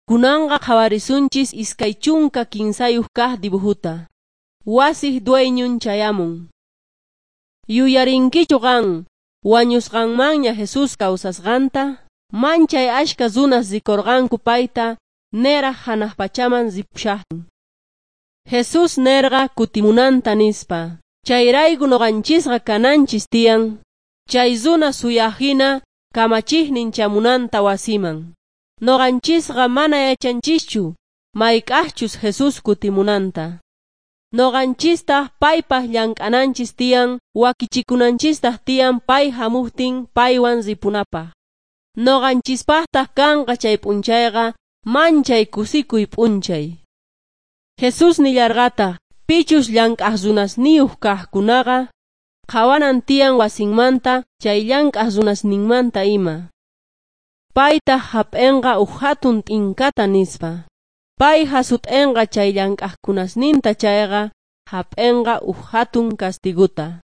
Kunanqa qhawarisunchis 23 kaq dibujuta. Wasiq dueñun chayamun. Yuyarinkichu qan wañusqanmanña Jesús kawsasqanta? Manchay ashka runas rikurqanku payta niraq hanaq pachaman ripushaqtin. Jesús nerqa kutimunanta nispa. Chayrayku nuqanchisqa kananchis tiyan. Chay runa suyaqhina kamachiqnin chamunanta wasiman. Nuqanchisqa mana yachanchischu mayk'aqchus Jesús kutimunanta. Nuqanchistaq paypaq llank'ananchis tiyan, wakichikunanchistaq tiyan pay hamuqtin paywan ripunapaq. Nuqanchispaqtaq kanqa chay p'unchayqa manchay kusikuy p'unchay. Jesús nillarqataq pichus llank'aq runasniyuq kaqkunaqa qhawanan tiyan wasinmanta chay llank'aq runasninmanta ima. Paytaq hap'inqa huk hatun t'inkata nispa. Pay hasut'inqa chay llank'aqkunasninta chayqa hap'inqa huk hatun kastiguta.